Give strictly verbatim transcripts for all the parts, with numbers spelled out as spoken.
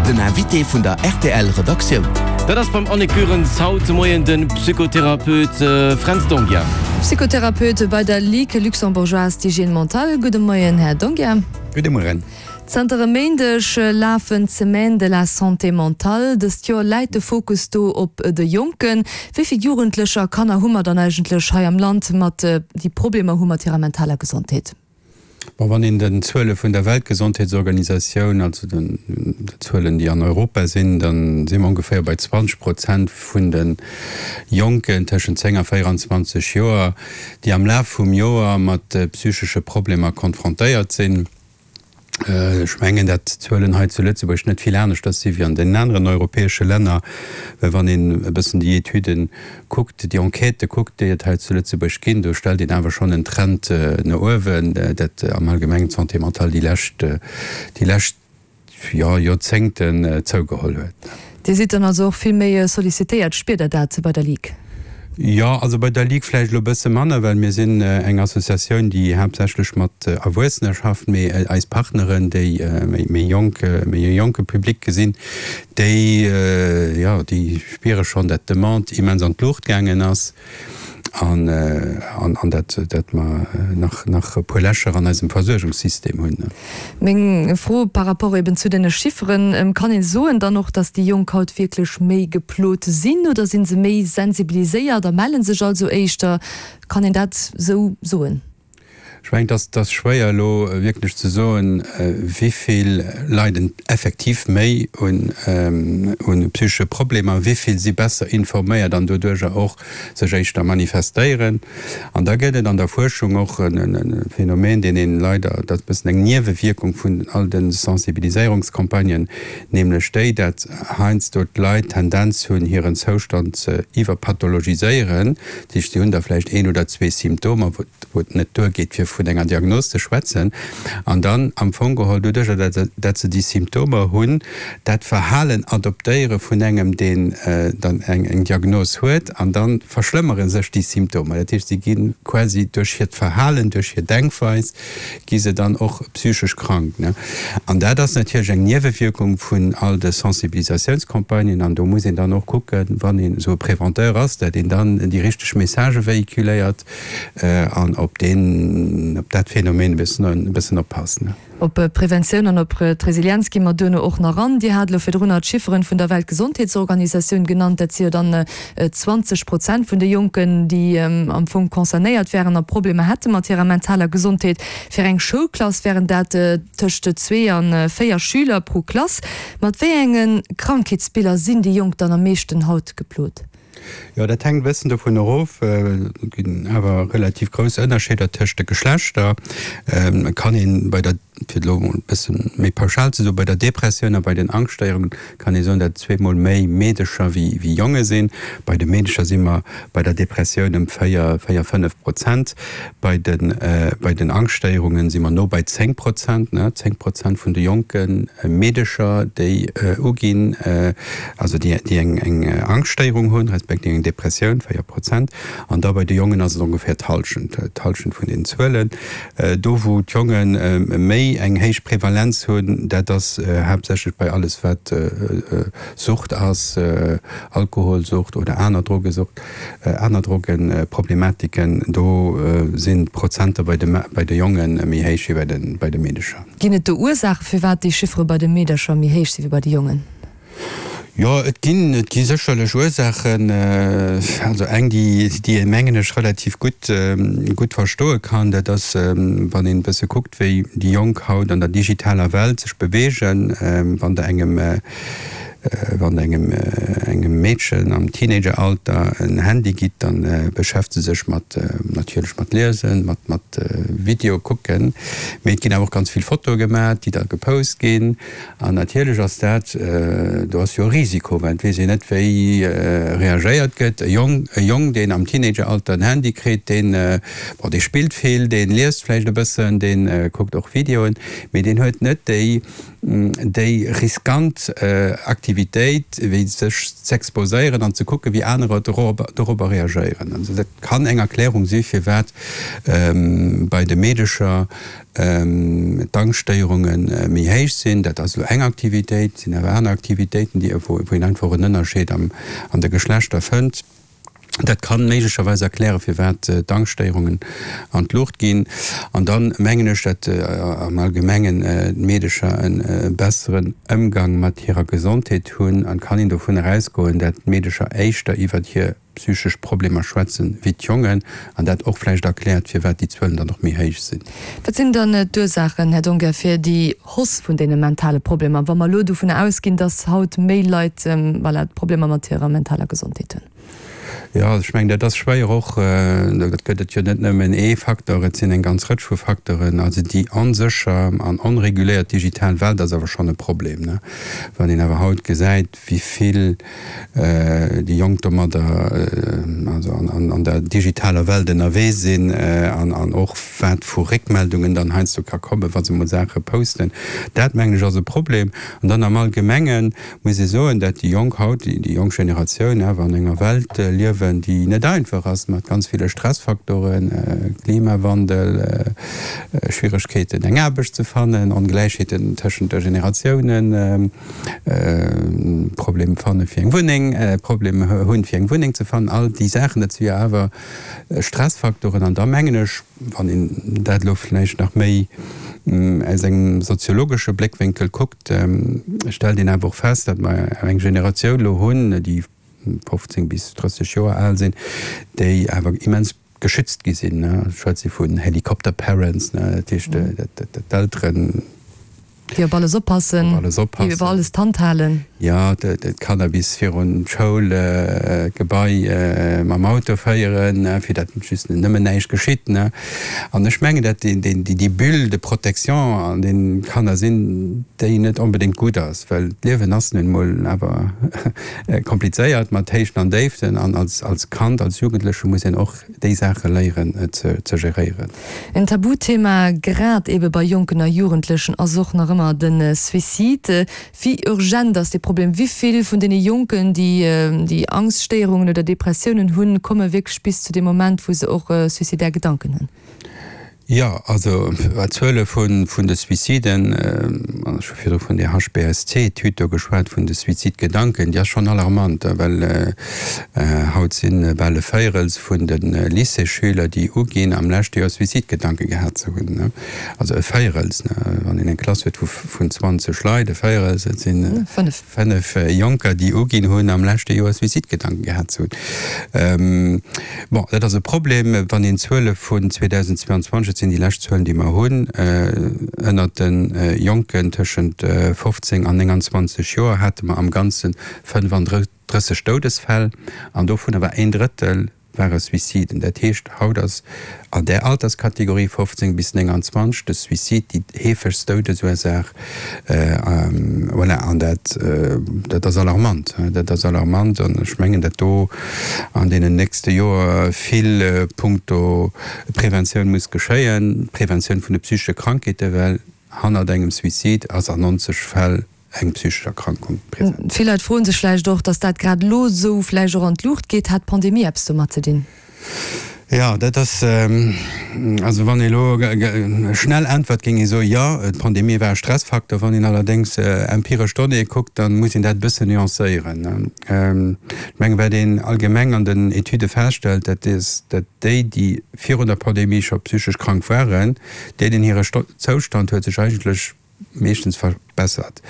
Den Invité vun der R T L Redaktioun. Dat ass beim Annick Goerens haut de Moien de Psychotherapeut Fränz D'Onghia. Psychotherapeut bei der Ligue luxembourgeoise d'hygiène mentale. Gudde Moien, Här D'Onghia. Gudde Mueren. Zanter e Méindeg lafen d'Semaines de la santé mentale. Dëst Joer läit de Fokus do op de Jonken. Wéi vill Jugendlecher a Kanner hu mer dann eigentlech hei am Land mat déi Problemer hu mat hirer mentaler Gesondheet? Bon, wann een den Zuele vun der Weltgesondheetsorganisatioun, also den Zuelen, déi an Europa sinn, dann si mer ongeféier bei zwanzeg Prozent vun de Jonken tëschent zéng a véierenzwanzeg Joer, déi am Laf vum Joer mat psychesche Problemer konfrontéiert sinn. Ech mengen, dat d'Zuelen hei zu Lëtzebuerg net vill aneschters si wéi an deenen aneren europäesche Länner, well wann een e bëssen déi Etüden kuckt, déi Enquêtë kuckt, déi et hei zu Lëtzebuerg ginn, do stellt een awer schonn en Trend no uewen, dat am Allgemengen d'Santé mentale déi lescht, déi lescht, jo, Joerzéngten zougeholl huet. Dir sidd dann also och vill méi sollicitéiert. Spiert Der dat bei der Ligue? Jo, also bei der Ligue vläicht elo e bësse manner, well mir sinn eng Associatioun, déi haaptsächlech mat Erwuessener schafft, mee eis Partneren, déi méi jonk, méi e jonke Public gesinn, déi, jo, déi spiere schonn, dat d'Demande immens an d'Luucht gaangen ass an, an dat, dat mer nach, nach e puer Lächer an eisem Versuergungssystem hunn. Meng Fro par rapport eben zu deene Chifferen, Kann een soen dann och, dass déi Jonk haut wierklech méi geplot sinn oder si se méi sensibiliséiert a melle sech also éischter? Kann een dat esou soen? Ech mengen, et ass schwéier elo wierklech ze soen, wéi vill leiden effektiv méi un psychesche Problemer, wéi vill si besser informéiert an doduercher och sech éischter manifestéieren. An da gëtt et an der Fuerschung och e Phänomen, deen een leider, dat ass e bëssen eng Niewewierkung vun all de Sensibiliséierungscampagnen, nämlech déi, dat heiansdo d'Leit d'Tendenz hunn, hiren Zoustand ze iwwerpathologiséieren. Dat heescht, si hunn da vläicht een oder zwee Symptomer, wou et net duergeet, fir vun enger Diagnos ze schwätzen, an dann am Fong geholl doduercher, dat se déi Symptomer hunn, dat Verhalen adoptéiere vun engem, deen dann eng Diagnos huet, an da verschlëmmere sech déi Symptomer. Dat heescht, si gi quasi duerch hiert Verhalen, duerch hir Denkweis gi se dann och psychesch krank. An dat ass natierlech eng Niewewierkung vun all de Sensibilisatiounscampagnen. An do muss een dann och kucken, wann een esou e Préventeur ass, dat een dann déi richteg Messagë véhiculéiert an op deen, op dat Phänomen e bëssen, e bëssen oppassen. Op d'Preventioun an op d'Resilienz gi mer duerno och nach an. Dir hat elo virdrunner d'Chifferen vun der Weltgesondheetsorganisatioun genannt. Dat si jo dann zwanzeg Prozent vun de Jonken, déi am Fong concernéiert wären a Problemer hätte mat hirer mentaler Gesondheet. Fir eng Schoulklass wären dat tëscht zwee a véier Schüler pro Klass. Mat wéi enge Krankheetsbiller sinn déi Jonk dann am meeschten haut geplot? Jo, dat hänkt e bëssen dovun erof. Et ginn awer relativ grouss Ënnerscheeder tëscht de Geschlechter. Et kann een bei der, fir et elo emol e bësse méi pauschal ze soen, bei der Depressioun a bei den Angschtstéierungen kann ee soen, datt et zweemol méi Meedecher wéi Jonge sinn. Bei de Meedecher si mer bei der Depressioun ëm véier, véier, fënnef Prozent. Bei de, bei den Angschtstéierungen si mer no bei zéng Prozent, ne, zéng Prozent vun de jonke Meedecher, déi uginn, also déi, déi eng, eng Angschtstéierung hunn, respektiv eng Depressioun, véier Prozent. An da bei de Jongen ass et ongeféier d'Hallschent, d'Hallschent vun den Zuelen. Do wou d'Jonge méi eng héich Prevalenz hunn, dat ass haaptsächlech bei alles wat Sucht ass, Alkoholsucht oder aner Drogesucht, aner Drogeproblematiken. Do sinn d'Prozenter bei de bei de Jonge méi héich wéi bei de bei de Meedecher. Ginn et do Ursaache firwat déi Chiffere bei de Meedercher méi héich si wéi bei de Jongen? Jo, et ginn, et gi sécherlech Ursaachen. Also eng, déi, déi ee mengen ech relativ gutt, gutt verstoe kann, dat ass, wann een e bësse kuckt, wéi déi Jonk haut an der digitaler Welt sech beweegen. Wann Der engem, wann Der engem, engem Meedchen am Teenageralter en Handy gitt, da beschäftegt se sech mat, natierlech mat Liesen, mat, mat Video kucken, mee et ginn awer och ganz vill Fotoe gemaach, déi da gepost ginn. An natierlech ass dat, do ass jo e Risiko, well et weess een net, wéi reagéiert gëtt. E Jong, e Jong, deen am Teenageralter en Handy kritt, deen, bon, dee spillt vill, dee liest vläicht e bëssen, dee kuckt och Videoen, mee deen huet net déi, déi riskant Aktivitéiten, Aktivitéit, wéi sech z'exposéieren an ze kucken, wéi anerer dorobber reagéieren. Also dat kann eng Erklärung si firwat bei de Meedecher d'Angschtstéierunge méi héich sinn. Dat ass elo eng Aktivitéit, et sinn awer aner Aktivitéiten, déi, wou een einfach en Ënnerscheed am, an de Geschlechter fënnt. Dat kann méiglecherweis erklären, firwat d'Angschtstéierungen an d'Luucht ginn. An dann mengen ech, datt am Allgemengen d'Meedecher e besseren Ëmgang mat hirer Gesondheet hunn an kann een dovun erausgoen, datt d'Meedecher éischter iwwert hir psychesch Problemer schwätzen wéi d'Jongen, an dat och vläicht erkläert, firwat déi Zuelen dann och méi héich sinn. Wat sinn dann d'Ursaachen, Här Donker, fir déi Hausse vun deene mentale Problemer, wa mer elo dovunner ausginn, datt haut méi Leit, voilà, Problemer mat hirer mentaler Gesondheet hunn? Jo, ech mengen, dat ass schwéier och, do gëtt et jo net nëmmen ee Facteur, et sinn eng ganz Rëtsch vu Facteuren. Also déi onsécher an onreguléiert digital Welt ass awer schonn e Problem, ne? Wann een awer haut gesäit, wéi vill déi Jonk domadder, also an der digitaler Welt ënnerwee sinn an och wat vu Réckmeldungen dann heiansdo ka kommen, wa se emol Saache posten, dat mengen ech ass e Problem. An dann am Allgemenge muss ee soen, dat déi Jonk haut, déi jonk Generatioun awer an enger Welt liewen, déi net einfach ass, mat ganz ville Stressfaktoren, Klimawandel, Schwieregkeeten eng Aarbecht ze fannen, Ongläichheeten tëschent de Generatiounen, Problem fanne fir eng Wunneng, Problem hunn fir eng Wunneng ze fannen, all déi Saachen, dat si jo awer Stressfaktoren. An da mengen ech, wann een dat elo vläicht nach méi aus engem soziologesche Bléckwénkel kuckt, stellt een awer och fest, datt mer eng Generatioun elo hunn, déi fofzéng bis drësseg Joer al sinn, déi awer immens geschützt gi sinn. Ech schwätze vun Helicopter parents, dat heescht, datt d'Elteren, Déi op alles oppassen, déi iwwer alles d'Hand halen. Jo, d'Kanner bis virun d'Schoulgebai mam Auto féieren, fir datt just nëmmen näischt geschitt. An ech mengen, datt déi Bulle de protection an deenen d'Kanner sinn, déi net onbedéngt gutt ass, well d'Liewen ass nun emol awer komplizéiert mat Héichten an Déiften an als Kand, als Jugendleche muss een och déi Saache léieren ze geréieren. En Tabuthema, grad ebe bei Jonken a Jugendlechen, ass och nach ëmmer de Suicide. Wéi urgent ass dee Problem? Wéi vill vun deene Jonken, déi déi Angststéierungen oder Depressiounen hunn, komme wierklech bis zu deem Moment, wou se och suicidaire Gedanken hunn? Jo, also d'Zuele vun de Suiciden, an ech hu virdru vun där H B S C-Etüd do geschwat, vun de Suizidgedanken, déi ass schonn alarmant, well haut si bal e Véirels vun de Lycéesschüler, déi uginn, am leschte Joer Suizidgedanke gehat ze hunn. Also e Véirels, wann een eng Klass huet vun zwanzeg Leit, e Véirels, dat si fënnef Jonker, déi uginn hunn, am leschte Joer Suizidgedanken gehat ze hunn. Bon, dat ass e Problem, wann een d'Zuele vun zweedausendzweianzwanzeg, dat sinn déi lescht Zuelen, déi mer hunn, ënnert de Jonken tëschent fofzéng an nénganzwanzeg Joer hate mer am Ganze fënnefandrësseg Doudesfäll an dovunner war een Drëttel ware Suiciden. Dat heescht, haut ass an där Alterskategorie fofzéng bis nénganzwanzeg de Suicide déi heefegst Doudesursaach. Voilà, an dat, dat ass alarmant. Dat ass alarmant an ech mengen, datt do an deenen nächste Joer vill punkto Preventioun muss geschéien, Preventioun vun de psychesche Krankheeten, well hannert engem Suicide ass an nonzeg Fäll eng psychesch Erkrankung present. Vill Leit froen sech vläicht och, datt dat grad elo esou vläicht och an d'Luucht geet. Hat d'Pandemie eppes domat ze dinn? Jo, dat ass, also wann ee elo schnell äntwert, géing ee soen, jo, d'Pandemie war e Stressfaktor. Wann een allerdéngs empiresch Donnéeë kuckt, da muss een dat e bëssen nuancéieren. Ech mengen, wat een allgemeng an den Etüde feststellt, dat ass, datt déi, déi virun der Pandemie scho psychesch krank waren, deenen hire Zoustand huet sech eigentlech meeschtens verbessert.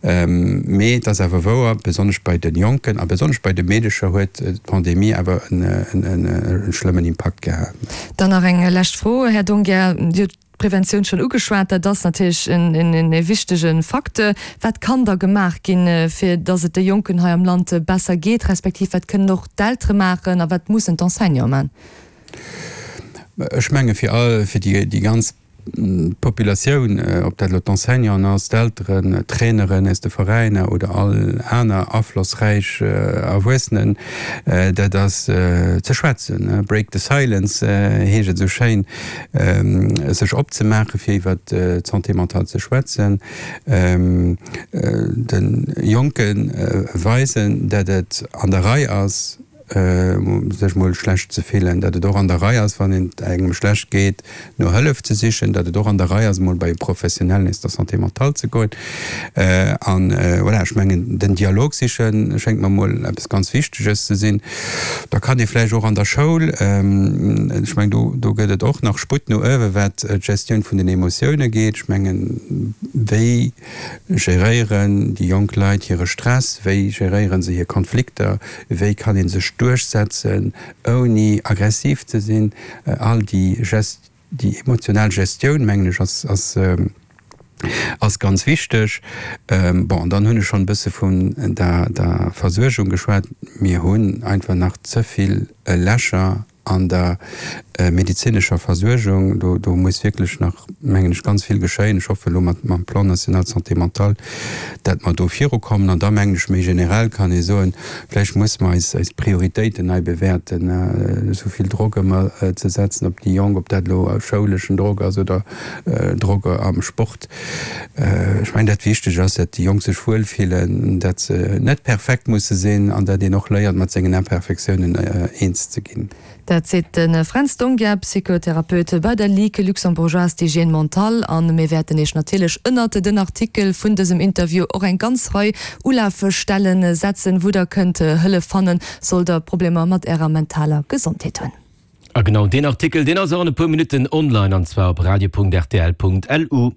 Mee et ass awer wouer, besonnesch bei de Jonken a besonnesch bei de Meedecher huet d'Pandemie awer e schlëmmen Impakt gehat. Dann nach eng lescht Fro, Här Donghier. Dir hutt d'Preventioun schonn ugeschwat, dat ass natierlech e wichtege Facteur. Wat kann da gemaach ginn, fir datt et de Jonken hei am Land besser geet, respektiv wat kënnen och d'Eltere maachen a wat mussen d'Enseignante maachen? Ech menge fir all, fir déi ganz d'Populatioun, ob dat elo d'Enseignanten ass, d'Elteren, d'Traineren aus de Veräiner oder all aner aflossräich Erwuessenen, dat ass ze schwätzen, break the silence heescht et esou schéin, sech opzemaachen, fir iwwer d'Santé mentale ze schwätzen, de Jonke weisen, dat et an der Rei ass, sech mol schlecht ze fillen, datt et och an der Rei ass, wann et engem schlecht geet, no Hëllef ze sichen, datt et och an der Rei ass, mol bei e Professionellen aus der Santé mentale ze goen. An voilà, ech mengen, den Dialog sichen schéngt mer mol eppes ganz Wichteges ze sinn. Da kann ee vläicht och an der Schoul, ech mengen, do, do gëtt et och nach Sputt no uewen, wat d'Gestioun vun den Emotioune geet. Ech mengen, wéi geréieren déi jonk Leit hire Stress, wéi geréiere se hir Konflikter, wéi kann ee sech duerchsetzen, ouni aggressiv ze sinn. All déi Gest, déi emotional Gestioun, mengen ech, ass, ass, ass ganz wichteg. Bon, an dann hunn ech schonn e bësse vun der, der Versuergung geschwat. Mir hunn einfach nach ze vill Lächer an der medezinescher Versuergung. Do, do muss wierklech nach, mengen ech, ganz vill geschéien. Ech hoffe elo mat, mam Plan national de santé mentale, dat mer do virukommen. An da mengen ech, méi generell kann ee soen, vläicht muss mer eis, eis Prioritéiten nei bewäerten. Esou vill Drock ëmmer ze setzen op déi Jonk, ob dat elo schouleschen Drock ass oder Drock am Sport. Ech mengen, dat Wichteg ass, dat déi Jonk sech wuel fillen, dat se net perfekt musse sinn an dat een och léiert, mat sengen Imperfektiounen eens ze ginn. Dat seet de Fränz D'Onghia, Psychotherapeut bei der Ligue luxembourgeoise d'hygiène mentale. A mir wäerten Iech natierlech ënnert den Artikel vun dësem Interview och eng ganz Rei Ulafstellen setzen, wou Der kënnt Hëllef fannen, sollt Der Problemer mat Ärer mentaler Gesondheet hunn. A genau deen Artikel, deen ass och an e puer Minutten online, an zwar op radio.rtl.lu.